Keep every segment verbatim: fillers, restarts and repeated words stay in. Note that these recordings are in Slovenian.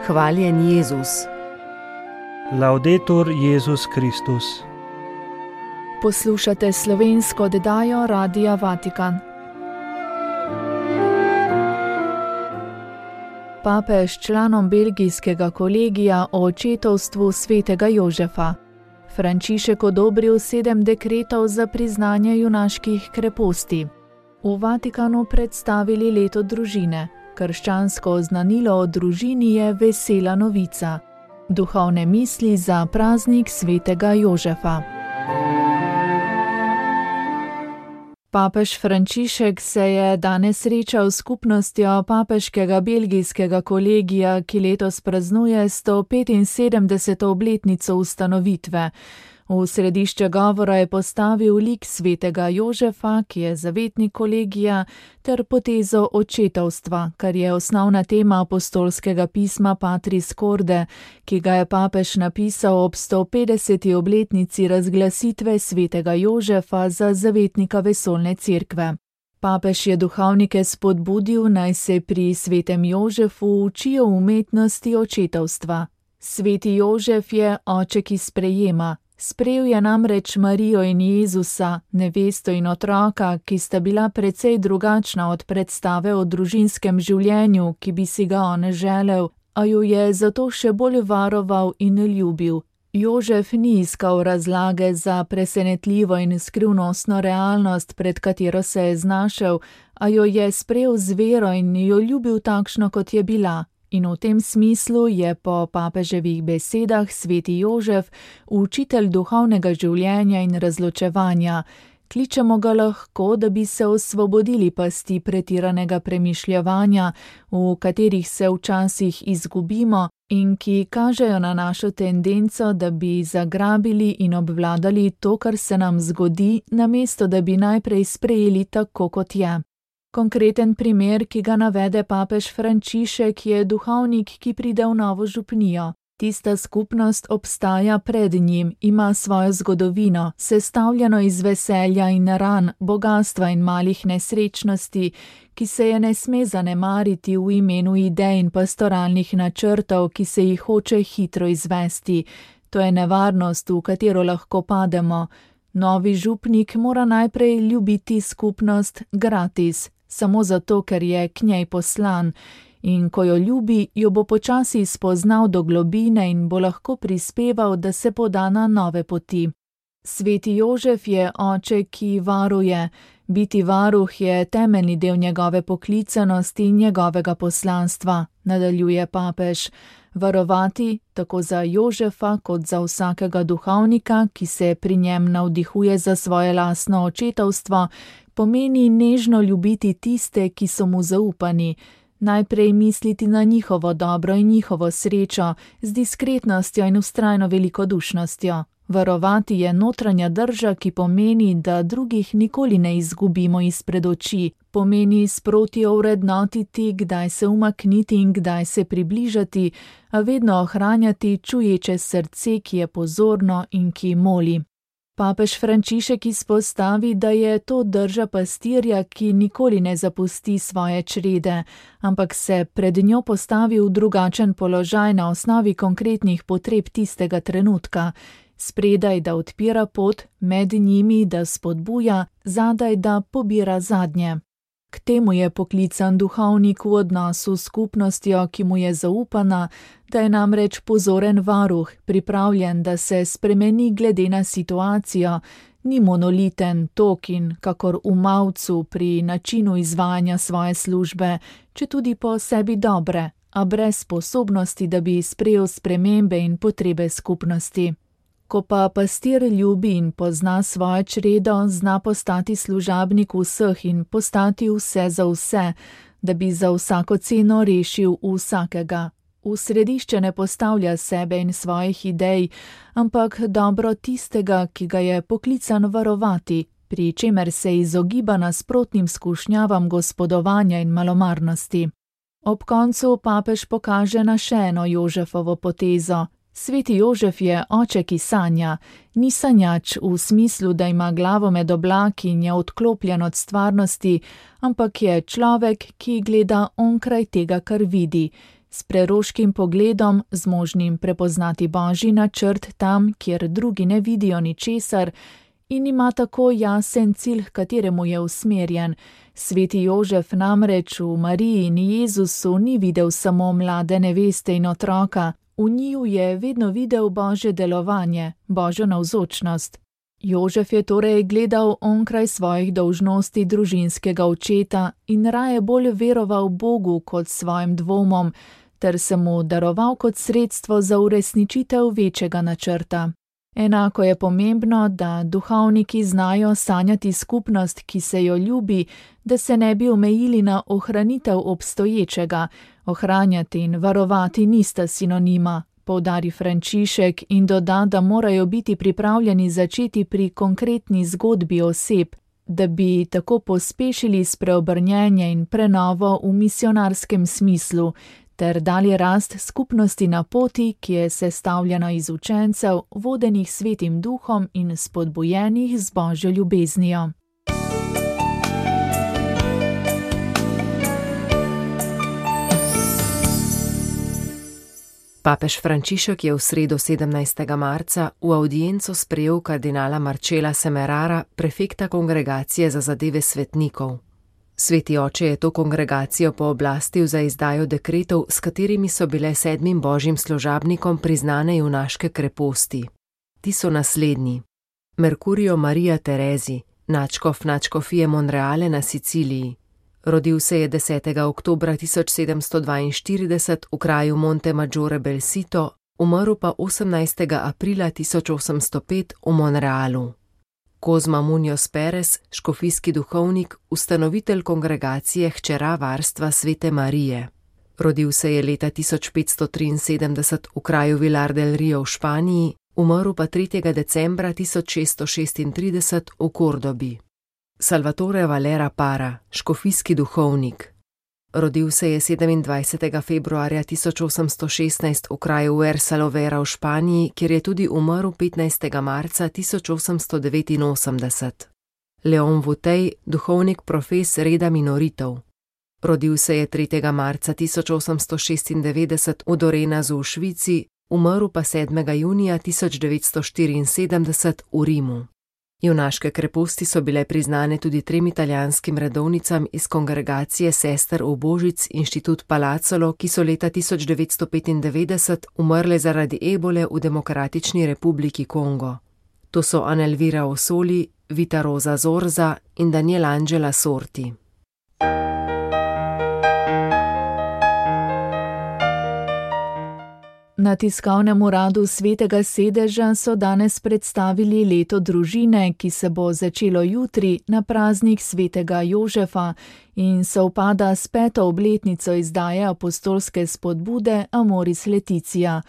Hvaljen Jezus. Laudetur Jezus Kristus. Poslušate slovensko oddajo Radia Vatikan. Papež članom belgijskega kolegija o očetovstvu svetega Jožefa. Frančišek odobril sedem dekretov za priznanje junaških kreposti. V Vatikanu predstavili leto družine. Krščansko oznanilo o družini je vesela novica. Duhovne misli za praznik svetega Jožefa. Papež Frančišek se je danes srečal s skupnostjo papeškega belgijskega kolegija, ki letos praznuje sto petinsedemdeseto obletnico ustanovitve. V središče govora je postavil lik svetega Jožefa, ki je zavetnik kolegija, ter potezo očetovstva, kar je osnovna tema apostolskega pisma Patris Corde, ki ga je papež napisal ob sto petdeseti obletnici razglasitve svetega Jožefa za zavetnika vesoljne cerkve. Papež je duhovnike spodbudil, naj se pri svetem Jožefu učijo umetnosti očetovstva. Sveti Jožef je oče, ki sprejema. Sprejel je namreč Marijo in Jezusa, nevesto in otroka, ki sta bila precej drugačna od predstave o družinskem življenju, ki bi si ga on želel, a jo je zato še bolj varoval in ljubil. Jožef ni iskal razlage za presenetljivo in skrivnostno realnost, pred katero se je znašel, a jo je sprejel z vero in jo ljubil takšno, kot je bila. In v tem smislu je po papeževih besedah sveti Jožef učitelj duhovnega življenja in razločevanja. Kličemo ga lahko, da bi se osvobodili pasti pretiranega premišljevanja, v katerih se včasih izgubimo in ki kažejo na našo tendenco, da bi zagrabili in obvladali to, kar se nam zgodi, namesto da bi najprej sprejeli tako, kot je. Konkreten primer, ki ga navede papež Frančišek, je duhovnik, ki pride v novo župnijo. Tista skupnost obstaja pred njim, ima svojo zgodovino, sestavljeno iz veselja in ran, bogastva in malih nesrečnosti, ki se je ne sme zanemariti v imenu idej in pastoralnih načrtov, ki se jih hoče hitro izvesti. To je nevarnost, v katero lahko pademo. Novi župnik mora najprej ljubiti skupnost gratis, samo zato, ker je k njej poslan, in ko jo ljubi, jo bo počasi spoznal do globine in bo lahko prispeval, da se poda na nove poti. Sveti Jožef je oče, ki varuje. Biti varuh je temeljni del njegove poklicanosti in njegovega poslanstva, nadaljuje papež. Varovati, tako za Jožefa kot za vsakega duhovnika, ki se pri njem navdihuje za svoje lastno očetovstvo, pomeni nežno ljubiti tiste, ki so mu zaupani, najprej misliti na njihovo dobro in njihovo srečo, z diskretnostjo in vztrajno velikodušnostjo. Varovati je notranja drža, ki pomeni, da drugih nikoli ne izgubimo izpred oči, pomeni sproti ovrednotiti, kdaj se umakniti in kdaj se približati, a vedno ohranjati čuječe srce, ki je pozorno in ki moli. Papež Frančišek izpostavi, da je to drža pastirja, ki nikoli ne zapusti svoje črede, ampak se pred njo postavi v drugačen položaj na osnovi konkretnih potreb tistega trenutka. Spredaj, da odpira pot, med njimi, da spodbuja, zadaj, da pobira zadnje. K temu je poklican duhovnik v odnosu s skupnostjo, ki mu je zaupana, da je namreč pozoren varuh, pripravljen, da se spremeni glede na situacijo, ni monoliten, tokin, kakor v mavcu pri načinu izvajanja svoje službe, četudi po sebi dobre, a brez sposobnosti, da bi sprejel spremembe in potrebe skupnosti. Ko pa pastir ljubi in pozna svojo čredo, zna postati služabnik vseh in postati vse za vse, da bi za vsako ceno rešil vsakega. V središče ne postavlja sebe in svojih idej, ampak dobro tistega, ki ga je poklican varovati, pri čemer se izogiba nasprotnim skušnjavam gospodovanja in malomarnosti. Ob koncu papež pokaže na še eno Jožefovo potezo. Sveti Jožef je oče, ki sanja, ni sanjač v smislu, da ima glavo med oblaki in je odklopljen od stvarnosti, ampak je človek, ki gleda onkraj tega, kar vidi, s preroškim pogledom, zmožnim prepoznati Božji načrt tam, kjer drugi ne vidijo ničesar, in ima tako jasen cilj, h kateremu je usmerjen. Sveti Jožef namreč v Mariji in Jezusu ni videl samo mlade neveste in otroka, v njiju je vedno videl Božje delovanje, Božjo navzočnost. Jožef je torej gledal onkraj svojih dolžnosti družinskega očeta in raje bolj veroval Bogu kot svojim dvomom, ter se mu daroval kot sredstvo za uresničitev večjega načrta. Enako je pomembno, da duhovniki znajo sanjati skupnost, ki se jo ljubi, da se ne bi omejili na ohranitev obstoječega. Ohranjati in varovati nista sinonima, poudari Frančišek in doda, da morajo biti pripravljeni začeti pri konkretni zgodbi oseb, da bi tako pospešili spreobrnjenje in prenovo v misionarskem smislu, ter dali rast skupnosti na poti, ki je sestavljena iz učencev, vodenih Svetim Duhom in spodbujenih z Božjo ljubeznijo. Papež Frančišek je v sredo sedemnajstega marca v avdienco sprejel kardinala Marcela Semerara, prefekta Kongregacije za zadeve svetnikov. Sveti oče je to kongregacijo pooblastil za izdajo dekretov, s katerimi so bile sedmim božjim služabnikom priznane junaške kreposti. Ti so naslednji: Mercurio Maria Teresi, nadškof nadškofije Monreale na Siciliji. Rodil se je desetega oktobra tisoč sedemsto dvainštirideset v kraju Monte Maggiore Belsito, umrl pa osemnajstega aprila tisoč osemsto pet v Monrealu. Kozma Munoz Perez, škofijski duhovnik, ustanovitelj kongregacije Hčera varstva Svete Marije. Rodil se je leta tisoč petsto triinsedemdeset v kraju Vilar del Rio v Španiji, umrl pa tretjega decembra tisoč šeststo šestintrideset v Kordobi. Salvatore Valera Para, škofijski duhovnik. Rodil se je sedemindvajsetega februarja tisoč osemsto šestnajst v kraju Huersalovera v Španiji, kjer je tudi umrl petnajstega marca tisoč osemsto devetinosemdeset. Leon Vutej, duhovnik profes reda minoritov. Rodil se je tretjega marca tisoč osemsto šestindevetdeset v Dorenazu v Švici, umrl pa sedmega junija tisoč devetsto štiriinsedemdeset v Rimu. Junaške kreposti so bile priznane tudi trem italijanskim redovnicam iz kongregacije sester Ubožic Inštitut Palazzolo, ki so leta tisoč devetsto petindevetdeset umrle zaradi ebole v Demokratični republiki Kongo. To so Anelvira Osoli, Vita Rosa Zorza in Daniel Angela Sorti. Na tiskovnem uradu Svetega sedeža so danes predstavili leto družine, ki se bo začelo jutri na praznik Svetega Jožefa in sovpada s peto obletnico izdaje apostolske spodbude Amoris Laetitia.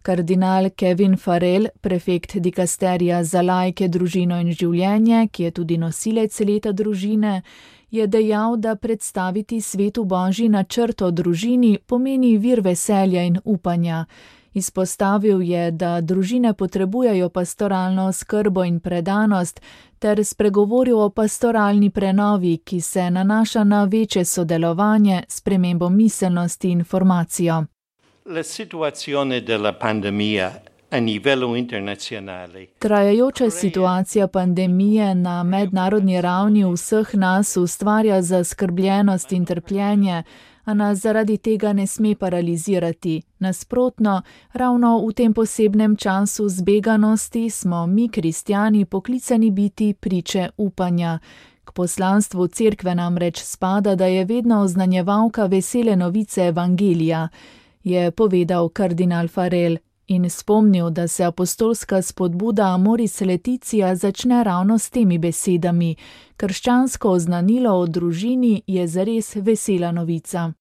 Kardinal Kevin Farrell, prefekt dikasterija za laike, družino in življenje, ki je tudi nosilec leta družine, je dejal, da predstaviti svetu Božji načrt o družini pomeni vir veselja in upanja. Izpostavil je, da družine potrebujejo pastoralno skrbo in predanost, ter spregovoril o pastoralni prenovi, ki se nanaša na večje sodelovanje, spremembo miselnosti in formacijo. La situazione della pandemia a livello internazionale. Trajajoča situacija pandemije na mednarodni ravni vseh nas ustvarja zaskrbljenost in trpljenje, a nas zaradi tega ne sme paralizirati. Nasprotno, ravno v tem posebnem času zbeganosti smo mi, kristjani, poklicani biti priče upanja. K poslanstvu cerkve namreč spada, da je vedno oznanjevalka vesele novice evangelija, je povedal kardinal Farrell in spomnil, da se apostolska spodbuda Amoris Laetitia začne ravno s temi besedami: krščansko oznanilo o družini je zares vesela novica.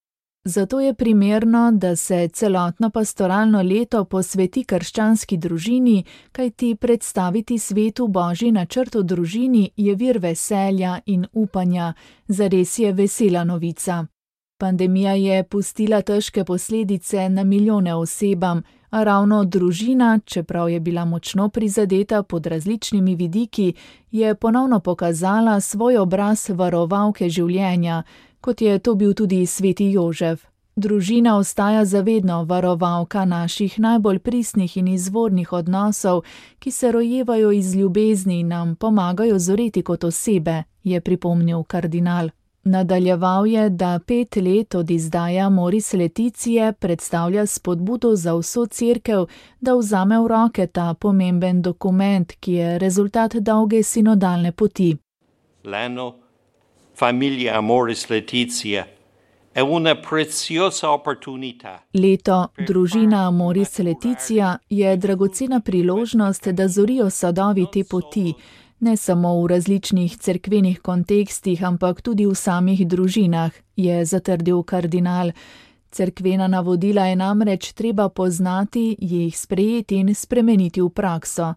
Zato je primerno, da se celotno pastoralno leto posveti krščanski družini, kajti predstaviti svetu Božji načrt o družini je vir veselja in upanja, zares je vesela novica. Pandemija je pustila težke posledice na milijone osebam, a ravno družina, čeprav je bila močno prizadeta pod različnimi vidiki, je ponovno pokazala svoj obraz varovalke življenja, kot je to bil tudi sveti Jožef. Družina ostaja zavedno varovalka naših najbolj pristnih in izvornih odnosov, ki se rojevajo iz ljubezni in nam pomagajo zoreti kot osebe, je pripomnil kardinal. Nadaljeval je, da pet let od izdaje Amoris Laetitia predstavlja spodbudo za vso cerkev, da vzame v roke ta pomemben dokument, ki je rezultat dolge sinodalne poti. L'anno Familia Amoris Laetitia è una preziosa opportunità. Leto Družina Amoris Laetitia je dragocena priložnost, da zorijo sadovi te poti, ne samo v različnih cerkvenih kontekstih, ampak tudi v samih družinah, je zatrdil kardinal. Cerkvena navodila je namreč treba poznati, jih sprejeti in spremeniti v prakso.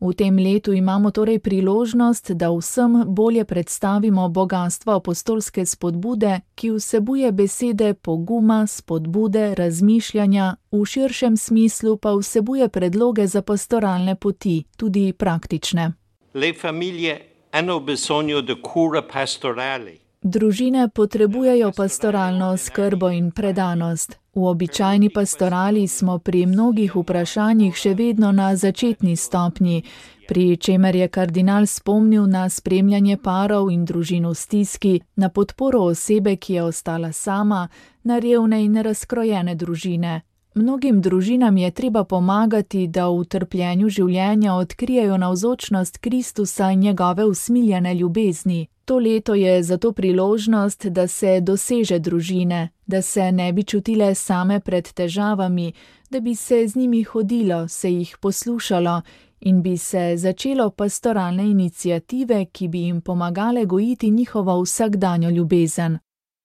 V tem letu imamo torej priložnost, da vsem bolje predstavimo bogastvo apostolske spodbude, ki vsebuje besede poguma, spodbude, razmišljanja, v širšem smislu pa vsebuje predloge za pastoralne poti, tudi praktične. Le famiglie hanno bisogno di cura pastorali. Družine potrebujejo pastoralno skrbo in predanost. V običajni pastorali smo pri mnogih vprašanjih še vedno na začetni stopnji, pri čemer je kardinal spomnil na spremljanje parov in družin v stiski, na podporo osebe, ki je ostala sama, na revne in razkrojene družine. Mnogim družinam je treba pomagati, da v trpljenju življenja odkrijejo navzočnost Kristusa in njegove usmiljene ljubezni. To leto je zato priložnost, da se doseže družine, da se ne bi čutile same pred težavami, da bi se z njimi hodilo, se jih poslušalo in bi se začelo pastoralne iniciative, ki bi jim pomagale gojiti njihovo vsakdanjo ljubezen.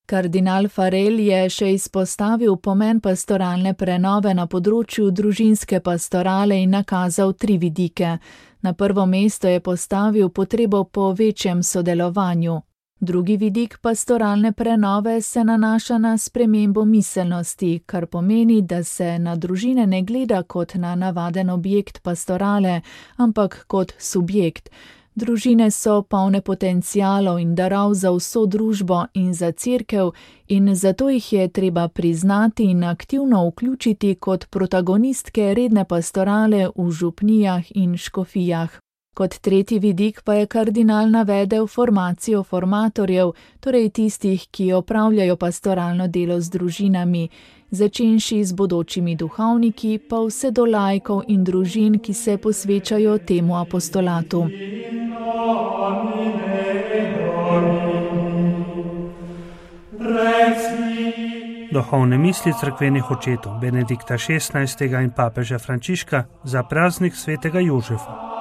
Kardinal Farel je še izpostavil pomen pastoralne prenove na področju družinske pastorale in nakazal tri vidike. Na prvo mesto je postavil potrebo po večjem sodelovanju. Drugi vidik pastoralne prenove se nanaša na spremembo miselnosti, kar pomeni, da se na družine ne gleda kot na navaden objekt pastorale, ampak kot subjekt. Družine so polne potencialov in darov za vso družbo in za cerkev in zato jih je treba priznati in aktivno vključiti kot protagonistke redne pastorale v župnijah in škofijah. Kot tretji vidik pa je kardinal navedel formacijo formatorjev, torej tistih, ki opravljajo pastoralno delo z družinami, začenši z bodočimi duhovniki, pa vse do laikov in družin, ki se posvečajo temu apostolatu. Duhovne misli cerkvenih očetov Benedikta šestnajstega in papeža Frančiška za praznik svetega Jožefa.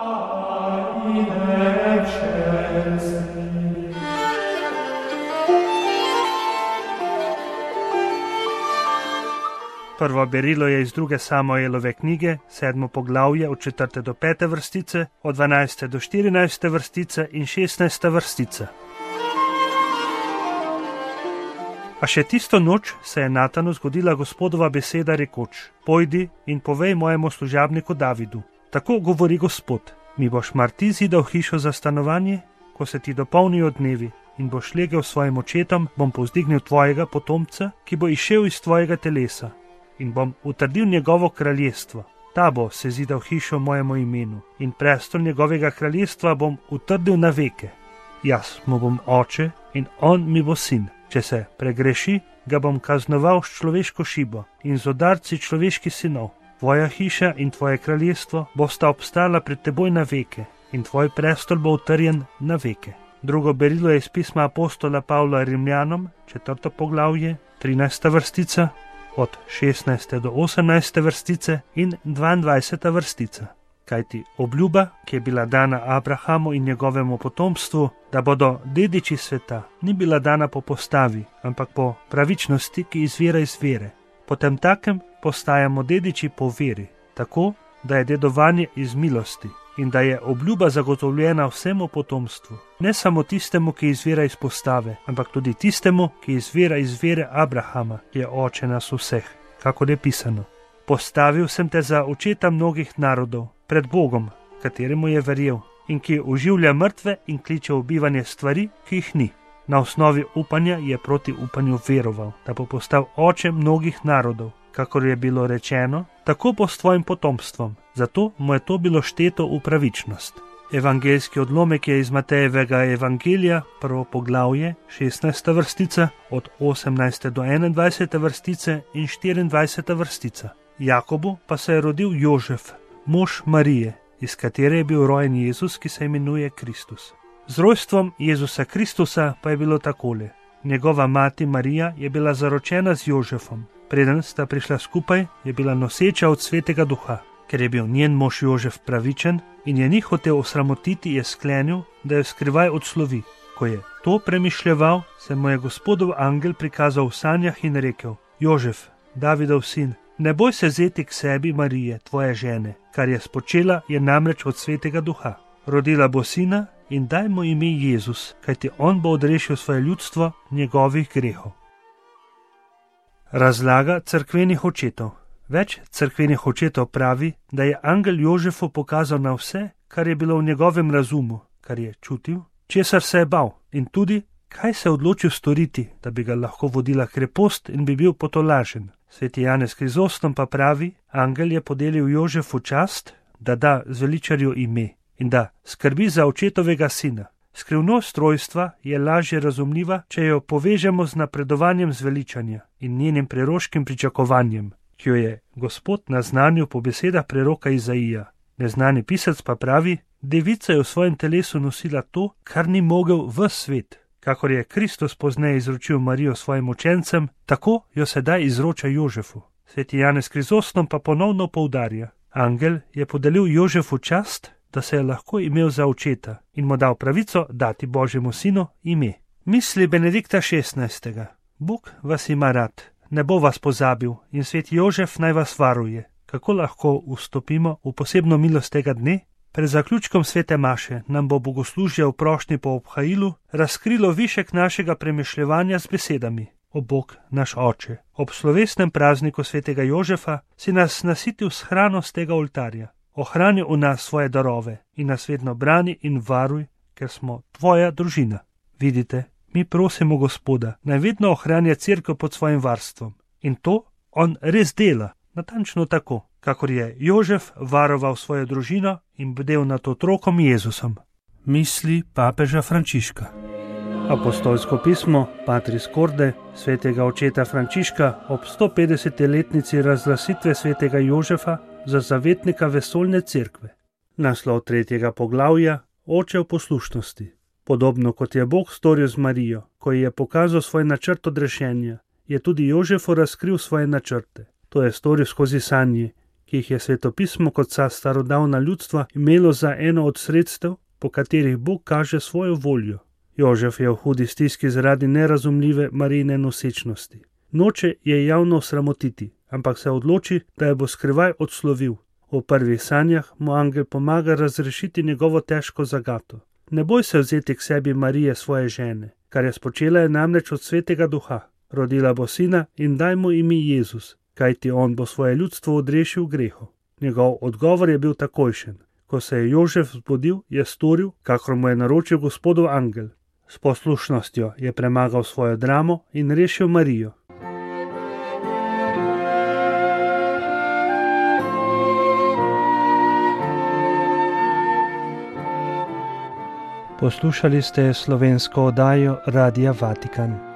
Prvo berilo je iz druge Samuelove knjige, sedmo poglavje od četrte do pete vrstice, od dvanajste do štirinajste vrstice in šestnajste vrstice. A še tisto noč se je Natanu zgodila Gospodova beseda rekoč: Pojdi in povej mojemu služabniku Davidu. Tako govori Gospod: Mi boš mar ti zidal hišo za stanovanje, ko se ti dopolnijo dnevi in boš legel svojim očetom, bom povzdignil tvojega potomca, ki bo izšel iz tvojega telesa. In bom utrdil njegovo kraljestvo. Ta bo se zidal hišo mojemu imenu in prestol njegovega kraljestva bom utrdil na veke. Jaz mu bom oče in on mi bo sin. Če se pregreši, ga bom kaznoval s človeško šibo in z udarci človeških sinov. Tvoja hiša in tvoje kraljestvo bosta obstala pred teboj na veke in tvoj prestol bo utrjen na veke. Drugo berilo je iz pisma apostola Pavla Rimljanom, četrto poglavje, trinajsta vrstica, od šestnajste do osemnajste vrstice in dvaindvajseta vrstica. Kajti obljuba, ki je bila dana Abrahamu in njegovemu potomstvu, da bodo dediči sveta, ni bila dana po postavi, ampak po pravičnosti, ki izvira iz vere. Potem takem postajamo dediči po veri, tako, da je dedovanje iz milosti in da je obljuba zagotovljena vsemu potomstvu. Ne samo tistemu, ki izvira iz postave, ampak tudi tistemu, ki izvira iz vere Abrahama, ki je oče nas vseh, kakor je pisano. Postavil sem te za očeta mnogih narodov, pred Bogom, kateremu je verjel in ki oživlja mrtve in kliče v bivanje stvari, ki jih ni. Na osnovi upanja je proti upanju veroval, da bo postal oče mnogih narodov, kakor je bilo rečeno, tako bo s tvojim potomstvom. Zato mu je to bilo šteto v pravičnost. Evangeljski odlomek je iz Matejevega evangelija, prvo poglavje, šestnajsta vrstica, od osemnajste do enaindvajsete vrstice in štiriindvajseta vrstica. Jakobu pa se je rodil Jožef, mož Marije, iz katere je bil rojen Jezus, ki se imenuje Kristus. Z rojstvom Jezusa Kristusa pa je bilo takole. Njegova mati Marija je bila zaročena z Jožefom. Preden sta prišla skupaj, je bila noseča od Svetega Duha. Ker je bil njen mož Jožef pravičen in je ni hotel osramotiti, je sklenil, da jo skrivaj odslovi. Ko je to premišljeval, se mu je Gospodov angel prikazal v sanjah in rekel: Jožef, Davidov sin, ne boj se vzeti k sebi Marije, tvoje žene, kar je spočela, je namreč od Svetega Duha. Rodila bo sina in daj mu ime Jezus, kajti on bo odrešil svoje ljudstvo njegovih grehov. Razlaga cerkvenih očetov. Več cerkvenih očetov pravi, da je angel Jožefu pokazal na vse, kar je bilo v njegovem razumu, kar je čutil, česar se je bal in tudi, kaj se je odločil storiti, da bi ga lahko vodila krepost in bi bil potolažen. Sveti Janez Krizostom pa pravi, angel je podelil Jožefu čast, da da zveličarju ime in da skrbi za očetovega sina. Skrivnost rojstva je lažje razumljiva, če jo povežemo z napredovanjem zveličanja in njenim preroškim pričakovanjem, ki jo je Gospod naznanil po besedah preroka Izaija. Neznani pisec pa pravi, devica je v svojem telesu nosila to, kar ni mogel ves svet. Kakor je Kristus pozneje izročil Marijo svojim učencem, tako jo sedaj izroča Jožefu. Sveti Janez Krizostom pa ponovno poudarja, angel je podelil Jožefu čast, da se je lahko imel za očeta in mu dal pravico dati Božjemu sinu ime. Misli Benedikta šestnajstega. Bog vas ima rad, ne bo vas pozabil in sveti Jožef naj vas varuje. Kako lahko vstopimo v posebno milost tega dne? Pred zaključkom svete maše nam bo bogoslužje v prošnji po obhajilu razkrilo višek našega premišljevanja z besedami: O Bog, naš Oče, ob slovesnem prazniku svetega Jožefa si nas nasitil s hrano z tega oltarja. Ohrani v nas svoje darove in nas vedno brani in varuj, ker smo tvoja družina. Vidite, mi prosimo Gospoda, naj vedno ohranja cerkev pod svojim varstvom. In to on res dela, natančno tako, kakor je Jožef varoval svojo družino in bdel nad otrokom Jezusom. Misli papeža Frančiška. Apostolsko pismo Patris Corde svetega očeta Frančiška ob sto petdeseti letnici razglasitve svetega Jožefa za zavetnika vesoljne cerkve. Naslov tretjega poglavja: Oče v poslušnosti. Podobno kot je Bog storil z Marijo, ko ji je pokazal svoj načrt odrešenja, je tudi Jožefu razkril svoje načrte. To je storil skozi sanje, ki jih je svetopismo kot vsa starodavna ljudstva imelo za eno od sredstev, po katerih Bog kaže svojo voljo. Jožef je v hudi stiski zaradi nerazumljive Marijine nosečnosti. Noče je javno sramotiti, ampak se odloči, da jo bo skrivaj odslovil. V prvih sanjah mu angel pomaga razrešiti njegovo težko zagato. Ne boj se vzeti k sebi Marije, svoje žene, kar je spočela je namreč od Svetega Duha. Rodila bo sina in daj mu ime Jezus, kajti on bo svoje ljudstvo odrešil grehov. Njegov odgovor je bil takojšen. Ko se je Jožef zbudil, je storil, kakor mu je naročil Gospodov angel. S poslušnostjo je premagal svojo dramo in rešil Marijo. Poslušali ste slovensko oddajo Radia Vatikan.